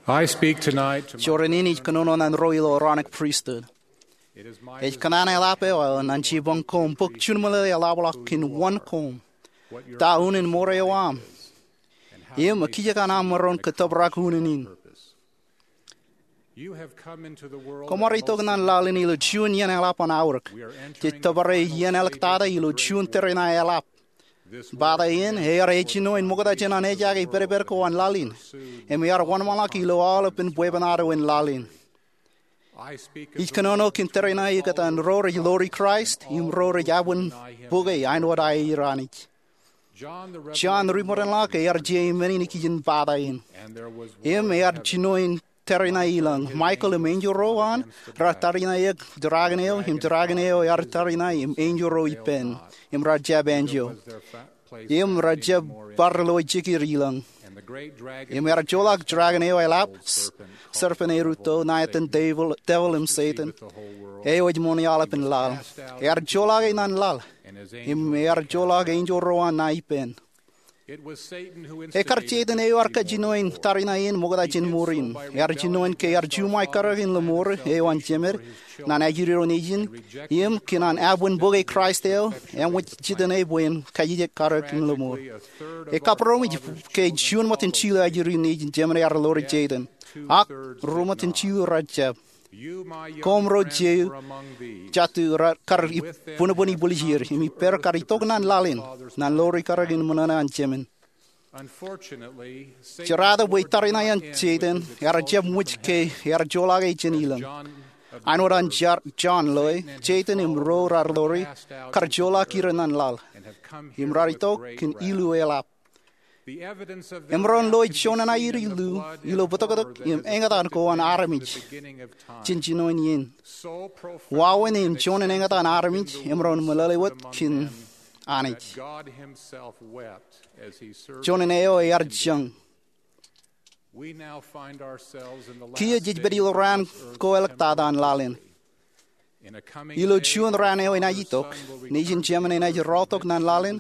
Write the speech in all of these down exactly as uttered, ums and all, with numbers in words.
I speak tonight to my Joñan in ij kōnono ñan ro ilo Aaronic Pristut. Ej kōṇaan eḷap eo aō ñan jibboñ koṃ bōk juon meḷeḷe eḷapḷọk kōn wōn koṃ, ta unin ṃoor eo aṃ, im ekijjeen aṃ maroñ ke tōprak unin in. Koṃ ar itok ñan laḷ in ilo juon iien eḷap an aorōk. Jej tōpare iien āliktata ilo juon tōre ṇae eḷap. Bōtaab in, ear ejino in ṃokta jān an ejaake pedped ko an laḷ in, im ear wōnṃaanḷọk ilo aolepān bwebwenato in laḷ in. Ij kōnono kōn tōre ṇae ikōtaan ro rej ḷoori Kraist im ro rej abwin bōke āinwōt aer Anij. Jon ri-ṃōdenḷọk ear jeiū men in ikijjeen bōtaab in, im ear jino in tōre ṇae ilọñ. Michael im enjeḷ ro an raar tariṇae eok dragon eo, im dragon eo ear tariṇae im enjeḷ ro ippān, im raar jab enjeḷ, im raar jab bar lowaan jekid ilọñ. Im ear joḷọk dragon eo eḷap, s- serpent erūtto, ṇa etan devil, devil im Setan, eo ej ṃoṇe aolepān laḷ. Ear joḷọk e ñan laḷ, im ear joḷọk enjeḷ ro an ṇa ippān. Ekar Setan eo ear kajjino in tariṇae in ṃokta jān ṃoor in. Ear jino in ke ear juṃae karōk in lōṃoor eo an Jemed ñan ajri ro nejin, im kōn an abwin bōke Kraist eo, eṃōj jitōñ e bwe en kajjitōk karōk in lōṃoor. Ekabūroṃōj ke juon ṃōttan jilu ajri nejin Jemed ear ḷoori Setan. Ak ruo ṃōttan jilu raar jab. Koṃ ro jeiū jatū raar kar bōnbōn ibwiljir, im ippāer kar itok ñan laḷ in, ñan ḷoori karōk in ṃōṇōṇō an Jemed. Jerata bwe tariṇae an Setan ear jab ṃōj ke ear joḷọk e jān ilọñ. Āinwōt an Jar- Jon loe, Setan im ro raar ḷoori kar joḷọk er ñan laḷ, im raar itok kōn ilu eḷap. Emaroñ loe juon ṇae ilo bōtōktōk im eñtaan ko an armej jān jinoin iien. Wāween im juon eñtaan armej emaroñ meḷeḷe wōt kōn Anij. Juon eo ear jañ. Kiiō jej pād ilo raan ko āliktata an laḷ in. Ilo juon raan eo enaaj itok, nejin Jemed enaaj rọọltok ñan laḷ in.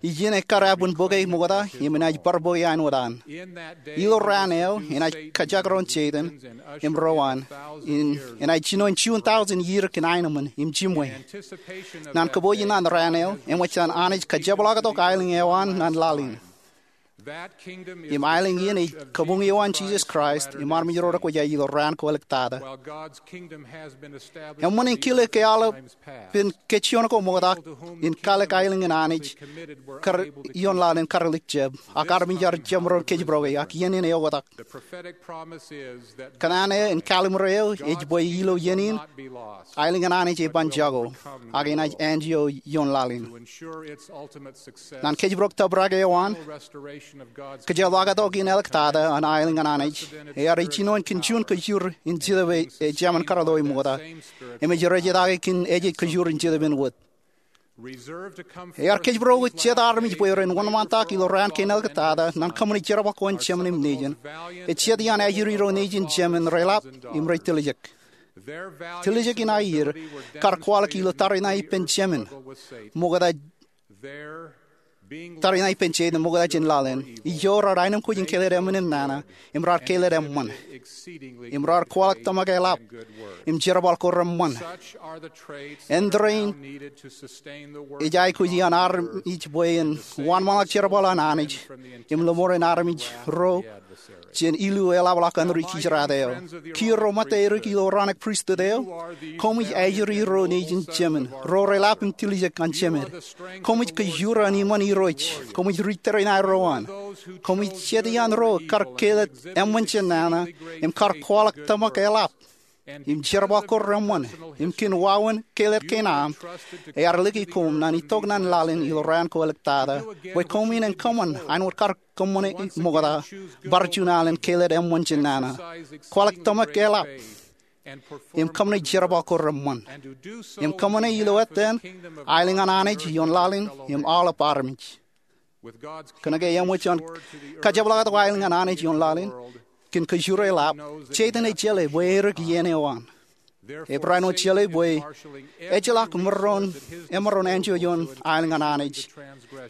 Ijin ekkar abwin bōke ṃokta im enaaj bar bōke āinwōt an. Ilo raan eo enaaj kajekdọọn Setan im ro an. Enaaj jino in juon tọujin iiō kōn aenōṃṃan im jiṃwe. Ñan kōpooj in an raan eo, eṃōj an Anij kajepḷaaktok aelōñ eo an ñan laḷ in. Im aelōñ in ej kabuñ eo an Jisōs Kraist im armej ro rekwōjarjar ilo raan ko āliktata. Eṃṃan in kile ke aolepān kōjjien ko ṃokta in kalōk aelōñ in Anij kar ioon laḷ in kar lik jab, ak armej ear jab maroñ kōjparok e, ak iien in eoktak. Kōṇaan eo in kallimur eo ej bwe ilo iien in, aelōñ in Anij eban jako, ak enaaj āinjeo ioon laḷ in. Ñan kōjparok tōprak eo an, kōjepḷaaktok in āliktata an aelōñ in Anij, ear ejino in kōn juon kōjur in Jetōb eo ejāmin kar loe ṃokta, im ej rejetake kōn ejej kōjur in Jetōb in wōt. Ear kōjparok jet armej bwe ren wōnṃaantak ilo raan kein āliktata ñan kōṃṃane jerbal ko an Jemed im nejin. Ej jet iaan ajri ro nejin Jemed reḷap im rej tiljek. Tiljek in aier kar kwaḷọk ilo tariṇae ippān Jemed ṃokta, tariṇae ippān Setan ṃokta jān laḷ in. Ijo raar aenōmkwōj in keled eṃṃan im nana, im raar keled eṃṃan, im raar kwaḷọk tōmak eḷap im jerbal ko reṃṃan. Āindein ej aikuj iaan armej bwe en wōnṃaanḷọk jerbal an Anij im lōṃoor in armej ro jān ilu eḷapḷọk an ri-kijjeraat eo. Kiiō ro ṃōttan erik ilo Aaronic Pristut eo, koṃij ajri ro nejin Jemed, ro reḷap im tiljek an Jemed. Koṃij kōjur an iṃaan Irooj. Koṃij ri-tōre ṇae ro an. Koṃij jet iaan ro kar keled eṃṃan jān nana im kar kwaḷọk tōmak eḷap im jerbal ko reṃṃan, im kōn wāween keled kein aṃ, ear lōke koṃ ñan itok ñan laḷ in ilo raan ko āliktata, bwe koṃwin en kōṃṃan āinwōt kar kōṃṃane ṃokta, bar juon alen keled eṃṃan jān nana, kwaḷọk tōmak eḷap, im kōṃṃane jerbal ko reṃṃan, im kōṃṃane ilo ettā aelōñ an Anij ioon laḷ in im aolep armej. Kōnke eṃōj an kajepḷaaktok aelōñ an Anij ioon laḷ in kōn kōjur eḷap, Setan ej jeḷā bwe erik iien eo an. Ebraham eo jeḷā bwe ejjeḷọk emaroñ, emaroñ anjọ ioon aelōñ an Anij.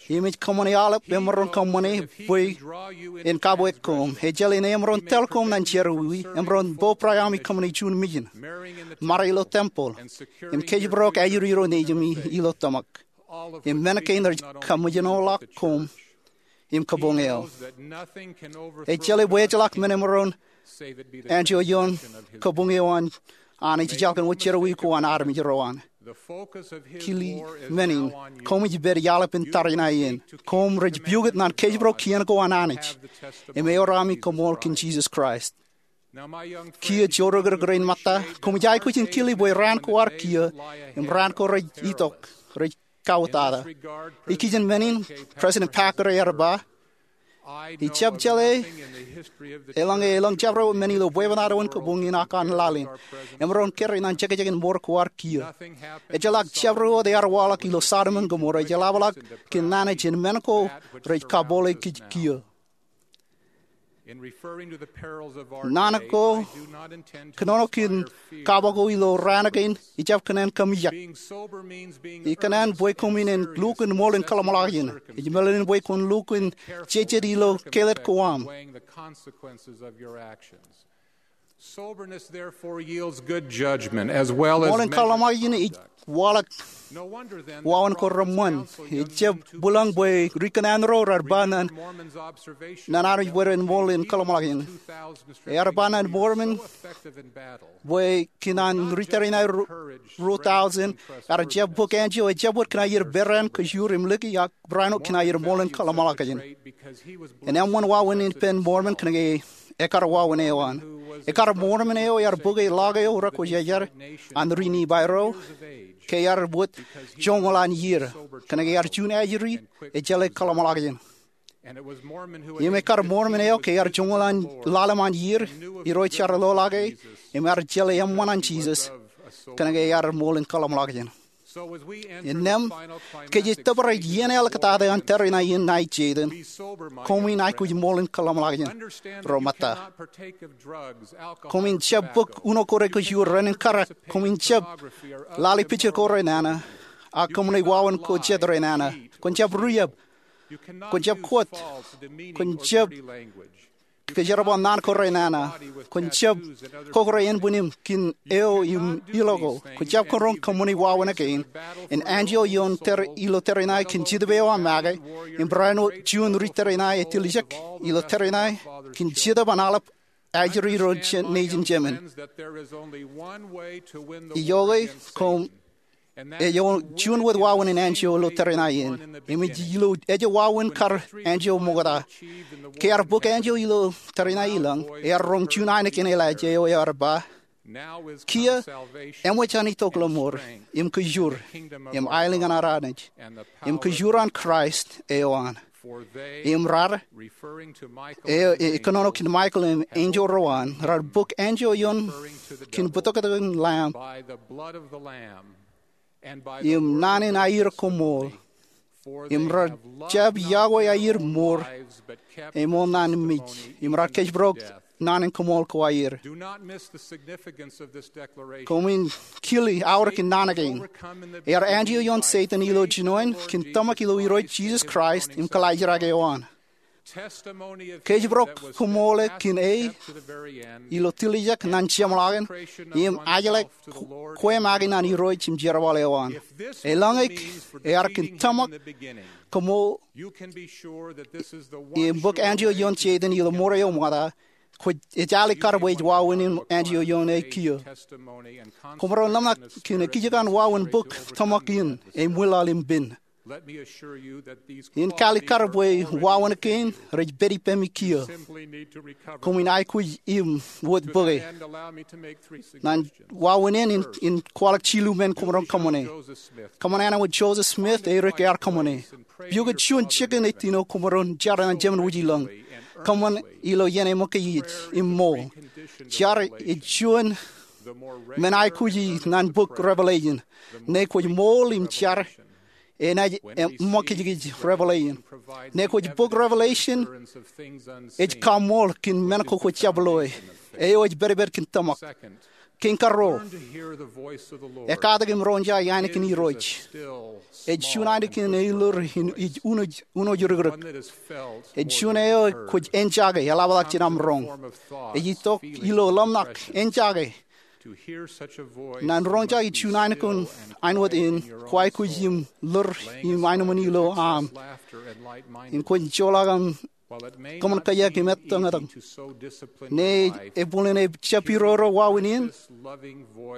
Im ej kōṃṃane aolep emaroñ kōṃṃane bwe en kabweik koṃ. Ejjeḷā en emaroñ tōl koṃ ñan jerọwiwi, emaroñ bo Brigham im kōṃṃane juon mission, ṃare ilo tempeḷ, im kōjparok ajri ro nejimi ilo tōmak, im men kein rej kaṃōjṇọḷọk koṃ im kabuñ eok. Ejjeḷā bwe ejjeḷọk men emaroñ anjọ ioon kabuñ eo an Anij ejjeḷọk wōt jerọwiwi ko an armej ro an. Kile men in, koṃij pād iaḷap in tariṇae in. Koṃ rej piukūt ñan kōjparok kien ko an Anij im eor ami koṃṃool kōn Jisōs Kraist. Kiiō jorrāān rein ṃōtta, koṃij aikuj in kile bwe raan ko ar kiiō im raan ko rej itok rej kautata. Ikijjien men in, President Packer ear ba, ij jab jeḷā eḷaññe elōñ jabdewōt men ilo bwebwenato in kabuñ in ak an laḷ in emaroñ kōrā ñan jekjekin mour ko ar kiiō. Ejjeḷọk jabdewōt ear waḷọk ilo Sodom im Gomorrah, ej eḷapḷọk kōn naan jān men ko rej kabooḷe kōj kiiō. Naan ko kōnono kōn kaba ko ilo raan kein, ij jab kōṇaan kōmijak. Ikōṇaan bwe koṃwin en lukkuun ṃool in kōḷmānḷọkjeṇ. Ej meḷeḷein bwe kwōn lukkuun jejet ilo kellet ko aṃ. Ṃool in kōḷmānḷọkjeṇ ej waḷọk wāween ko reṃṃan. Ej jab bwilōñ bwe ri kōṇaan ro raar ba ñan armej bwe ren ṃool in kōḷmānḷọkjeṇ. Ear ba ñan Mormon bwe kōn an ri tariṇae ruo, ruo thousand ear jab bōk anjọ, ejjab wōt kōn aer peran, kōjur im lōke, ak barāinwōt kōn aer ṃool in kōḷmānḷọkjeṇ. Enaaj eṃṃan wāween in ippān Mormon kōnke ekar wāween eo an. Ekar Mormon eo ear bōke ḷọk eo rekwōjarjar an ri Nifai ro ke ear wōt joñoul an iiō kōnke ear juon ajri ejjeḷā kōḷmānḷọkjeṇ. Im ekar Mormon eo ke ear joñoul an ḷalem an iiō, Irooj ear lolake im ear jeḷā eṃṃan an Jisōs kōnke ear ṃool in kōḷmānḷọkjeṇ. Innām, ke jej tōpar ej iien āliktata an tariṇae in ṇae Jeitan, koṃwin aikuj ṃool in kōḷmānḷọkjeṇ ro ṃōtta. Koṃwin jab bōk uno ko rekōjur, ren inkarak. Koṃwin jab lale picture ko renana, ak kōṃṃane wāween ko jet renana. Kwōn jab riab. Kwōn jab kōt. Kwōn jab kōjerbal naan ko renana. Kwōn jab kōkōrā ānbwinim kōn eo im ilo ko. Kwōn jab kōn roñ kōṃṃane wāween kein. Im anjọ ioon tar-, ilo tariṇae kōn Jetōb eo aṃ make. Im barāinwōt juon ri tariṇae ej tiljek ilo tariṇae kōn Jetōb an aḷap ajri ro nejin jemān. Ijoke, koṃ ej juon wōt wāween in anjọ ilo tariṇae in. Im ej ilo ejja wāween kar anjọ ṃokta. Ke ear bōk anjọ ilo tariṇae ilañ, ear roñ juon ainikien Elaija eo ear ba, kiiō eṃōj an itok ḷōṃor, im kōjur, im aelōñ an ad Anij, im kōjur an Kraist eo an. Im raar, eo, e, kōnono kōn Michael im enjeḷ ro an, raar bōk anjọ ioon kōn bōtōktōk in Lamb im naan in aier koṃṃool. Im raar jab yokwe aier mour, eṃool naan mej. Im raar kōjparok naan in koṃṃool ko aier. Koṃwin kile aorōk in naan kein. Ear anjọ ioon Seitan ilo jinoin kōn tōmak ilo Irooj Jisōs Kraist im kōḷaajrak eo an. Kōjparok koṃṃool kōn e ilo tiljek ñan jeṃḷọkin im ajlak kwe make ñan Irooj im jerbal eo an. Eḷaññe ear kōn tōmak koṃṃool im bōk anjọ ioon Seitan ilo mour eo ṃokta, kwōj, ej alikkar bwe ej wāween in anjọ ioon e kiiō. Koṃ ro ḷōmṇak kōn ekijjien wāween bōk tōmak in, e ṃwilaḷ im pen. In kalikkar bwe wāween kein rej pād ippemi kiiō. Koṃwin aikuj im wōt bōke. Ñan wāween in, in kwaḷọk jilu men koṃ roñ kōṃṃane. Kōṃṃan āinwōt Joseph Smith e ri ke ear kōṃṃane. Piukūt juon jikin ettino koṃ roñ jar ñan jemān wūjilōñ. Kōṃṃan ilo iien eṃōkaj im ṃool. Jar ej juon men aikuji ñan bok Revelation. Ñe kwōj ṃool im jar, enaaj eṃōkajkij Revelation. Ñe kwōj bok Revelation, ej kaṃṃool kōn men ko kwōj jab loe. Eo ej pedped kōn tōmak. Kein karuo, ekkatak im roñjake ainikien Irooj. Ej juon ainikien eilōr in ij unooj rikrōk. Ej juon eo kwōj enjake eḷapḷọk jān aṃ roñ. Ej itok ilo ḷōmṇak, enjake, ñan roñjake juon ainikien āinwōt in kwaikuj im ḷoor im aenōṃṃan ilo aṃ, im kwōj joḷọk aṃ kōṃṃan kōjak im ettōñtōñ. Ñe ebwilen ejjab iroro wāween in,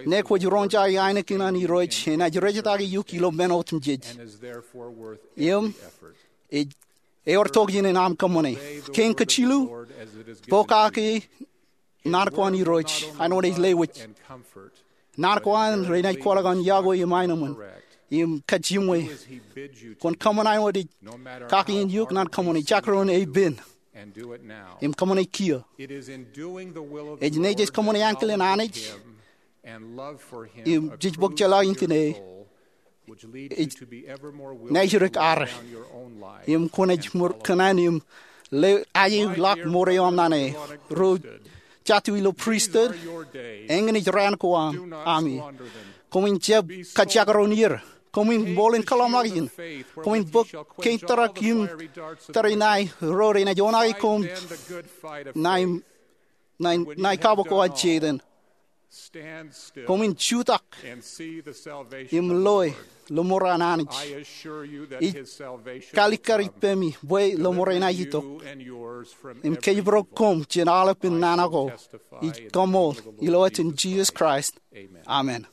ñe kwōj roñjake ainikien an Irooj, enaaj rejtake eok ilo men otemjej. Im ej, ewōr tok jān aṃ kōṃṃane. Kein kajilu, pokake naan ko an Irooj āinwōt ej lewōj. Naan ko an renaaj kwaḷọk an yokwe im aenōṃṃan im kajiṃwe. Kwōn kōṃṃan āinwōt ej kake in eok naan kōṃṃane, jakrōn e pen, im kōṃṃane kiiō. Ej nejej kōṃṃane ankilen Anij im jej bōk jeḷā in kine, ej najirik ad, im kwōnaaj kōṇaan im lewōj ajeḷọk mour eo aṃ naan e. Ro jatū ilo priesthood, eñin ej raan ko ami. Koṃwin jab kajakrōn er. Koṃwin ṃool in kōḷmānḷọkjeṇ. Koṃwin bōk kein tōrak im tōre ṇae ro renaaj oṇaake koṃ ṇae, ṇae kabbokbok an Setan. Koṃwin jutak im loe lōṃour an Anij. Ij kalikkar ippemi bwe lōṃour eṇ ej itok, im kōjparok koṃ jān aolepen nana ko. Ij kaṃool ilo etan Jisōs Kraist, amen.